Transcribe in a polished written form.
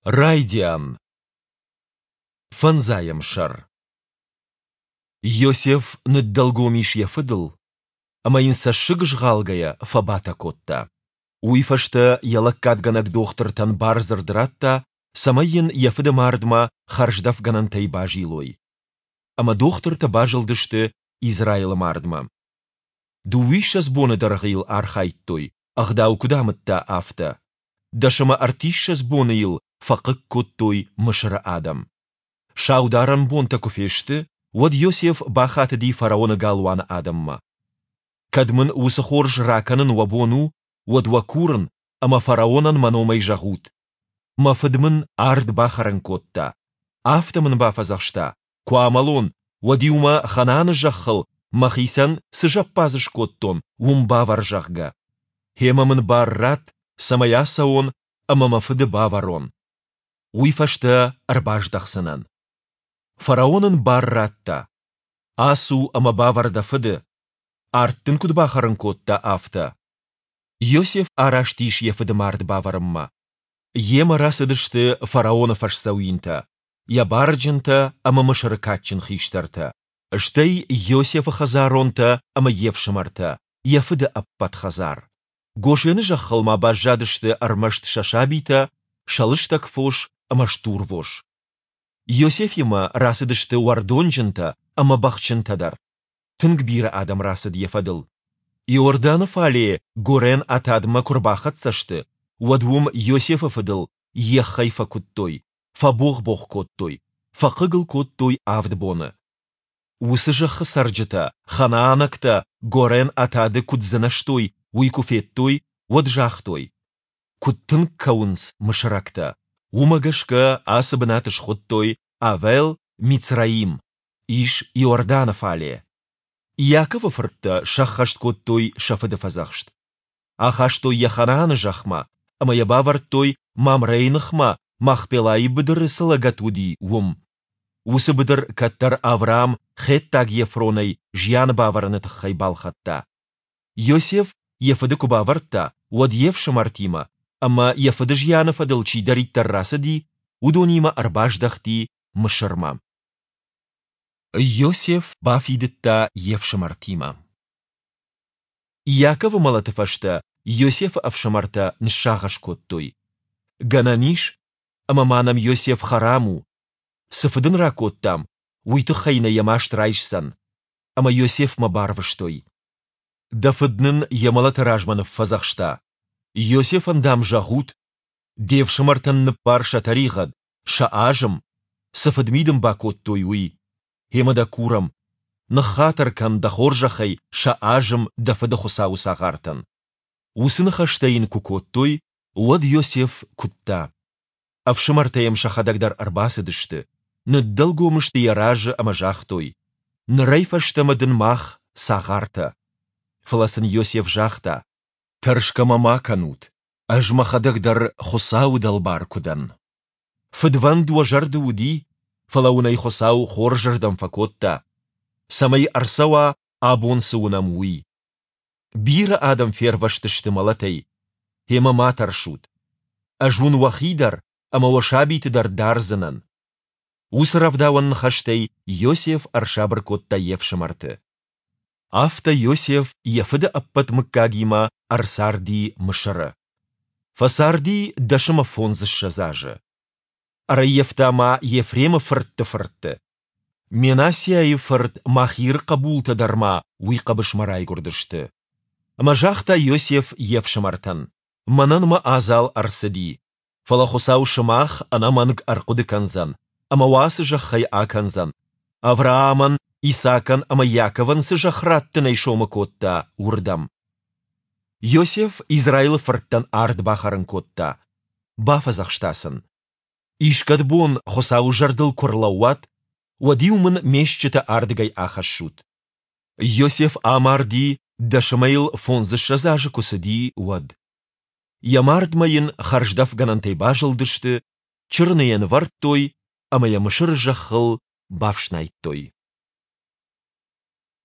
Райдиан. Фӕндзайӕм сӕр. Иосиф ныддӕлгом ис йӕ фыдыл, ӕмӕ йын цӕссыг згъалгӕйӕ фӕбатӕ кодта. Уый фӕстӕ йӕ лӕггадгӕнӕг дохтыртӕн бардзырд радта, цӕмӕй йын йӕ фыды мардмӕ хӕрздӕфгӕнӕнтӕй базилой. Ӕмӕ дохтыртӕ базылдысты Израилы мардмӕ. Дыууиссӕдз боны дӕргъы йыл архайдтой, ӕгъдау куыд амыдта, афтӕ. 10 ӕмӕ 30 боны йыл фӕхъыг кодтой Мысыры адӕм. Саударӕн бонтӕ куы фесты, уӕд Йосеф бахатыди фараоны галуаны адӕммӕ. Кӕд мын уыцы хорз ракӕнын уӕ бон у, уӕд уӕ курын, ӕмӕ фараонӕн мӕ номӕй зӕгъут: Мӕ фыд мын ард бахӕрын кодта. Афтӕ мын бафӕдзӕхста, куы амӕлон, уӕд-иу мӕ Ханааны зӕххыл мӕхицӕн цы зӕппадз скодтон, уым бавӕр, зӕгъгӕ. Гъемӕ мын бар ратт, цӕмӕй ацӕуон ӕмӕ мӕ фыды бавӕрон. Уый фӕстӕ ӕрбаздӕхдзынӕн. Фараон ын бар радта. Ацу ӕмӕ бавӕр дӕ фыды, ард дын куыд бахӕрын кодта, афтӕ. Иосиф араст ис йӕ фыды мард бавӕрынмӕ. Йемӕ рацыдысты фараоны фӕсдзӕуинтӕ, йӕ барджынтӕ ӕмӕ Мысыры кадджын хистӕртӕ, стӕй Иосифы хӕдзаронтӕ ӕмӕ йе фсымӕртӕ, йӕ фыды ӕппӕт хӕдзар. Гошены зӕххыл ма баззадысты ӕрмӕст сӕ сабитӕ, сӕ лыстӕг фос ӕмӕ стурвос. Иосифимӕ рацыдысты уӕрдонджынтӕ ӕмӕ бӕхджынтӕ дӕр. Тынг бирӕ адӕм рацыд йӕ фӕдыл. Иорданы фале горӕн Атадмӕ куы рбахӕццӕ сты, уӕд уым Иосифы фыдыл еххӕй фӕкуыдтой, фӕбогъ-богъ кодтой, фӕхъыг ыл кодтой авд боны. Уыцы зӕххы цӕрджытӕ, ханаанӕгтӕ горӕн Атады куыд дзынӕзтой, уый куы федтой, уӕд загътой, Куыд тынг кӕуынц мысырӕгтӕ! Уымӕ гӕсгӕ ацы бынат схуыдтой Авел-Мицраим, ис Иорданы фале. Иаковы фырттӕ сӕххӕст кодтой сӕ фыды фӕдзӕхст. Ахастой йӕ Ханааны зӕхмӕ ӕмӕ йӕ бавӕрдтой Мамрейы ныхмӕ Махпелайы быдыры цы лӕгӕт уыди, уым. Уыцы быдыр кӕддӕр Авраам хеттаг Ефронӕй зиан бавӕрыны тыххӕй балхӕдта. Иосиф йӕ фыды куы бавӕрдта, уӕд йе фсымӕртимӕ ӕмӕ йӕ фыды зианы фӕдыл чидӕриддӕр рацыди, уыдонимӕ ӕрбаздӕхти Мысырмӕ. Иосиф бафидыдта йе фсымӕртимӕ. Иаковы мӕлӕты фӕстӕ Иосифы ӕфсымӕртӕ ныссагъӕс кодтой: Гӕнӕн ис, ӕмӕ ма нӕм Иосиф хӕрам у. Цы фыд ын ракодтам, уый тыххӕй нӕ йӕ маст райсдзӕн. Ӕмӕ Иосифмӕ барвыстой. Дӕ фыд нын йӕ мӕлӕты размӕ ныффӕдзӕхста: Иосифӕн, дам, зӕгъут, де фсымӕртӕн ныббар сӕ тӕригъӕд, сӕ азым, цы фыдми дын бакодтой, уый. Гъемӕ дӕ курӕм, ныххатыр кӕн дӕ хорзӕхӕй сӕ азым дӕ фыды Хуыцауы цагъартӕн. Уыцы ныхӕстӕ йын куы кодтой, уӕд Иосиф куыдта. Ӕфсымӕртӕ йӕм сӕхӕдӕг дӕр ӕрбацыдысты, ныддӕлгом сты йӕ разы ӕмӕ загътой, Нырӕй фӕстӕмӕ дын мах цагъартӕ. Фӕлӕ сын Иосиф загъта, Тӕрсгӕ мӕ ма кӕнут, ӕз мӕхӕдӕг дӕр Хуыцауы дӕлбар куы дӕн. Фыдвӕнд уӕ зӕрды уыди, фӕлӕ уын ӕй Хуыцау хорзырдӕм фӕкодта, цӕмӕй ӕрцӕуа, абон цы уынӕм, уый. Бирӕ адӕм фервӕзтысты мӕлӕтӕй. Гъемӕ ма тӕрсут. Ӕз уын уӕхи дӕр ӕмӕ уӕ сабиты дӕр дардзынӕн. Уыцы рӕвдауӕн ныхӕстӕй Иосиф ӕрсабыр кодта йе фсымӕрты. Афтӕ Иосиф йӕ фыды ӕппӕт мыггагимӕ ӕрцарди Мысыры. Фӕцарди 125 азы. Ӕрӕййӕфта ма Ефремы фыртты фыртты. Менассиайы фырт Махиры хъӕбултӕ дӕр ма уый хъӕбысмӕ райгуырдысты. Ӕмӕ загъта Иосиф йе фсымӕртӕн, Мӕнӕн мӕ адзал ӕрцыди, фӕлӕ Хуыцау сымах ӕнӕмӕнг ӕрхъуыды кӕндзӕн ӕмӕ уӕ ацы зӕххӕй акӕндзӕн, Авраамӕн, Исаакӕн ӕмӕ Иаковӕн цы зӕхх раттынӕй сомы кодта, уырдӕм. Иосиф Израилы фырттӕн ард бахӕрын кодта, бафӕдзӕхста сын: Искӕд бон Хуыцауы зӕрдыл куы рлӕууат, уӕд-иу мын ме стджытӕ ардыгӕй ахӕссут. Иосиф амарди, дӕсӕмӕ йыл фондзыссӕдз азы куы цыди, уӕд. Йӕ мардмӕ йын хӕрздӕфгӕнӕнтӕй базылдысты, чырыны йӕ нывӕрдтой ӕмӕ йӕ Мысыры зӕххыл бафснайдтой.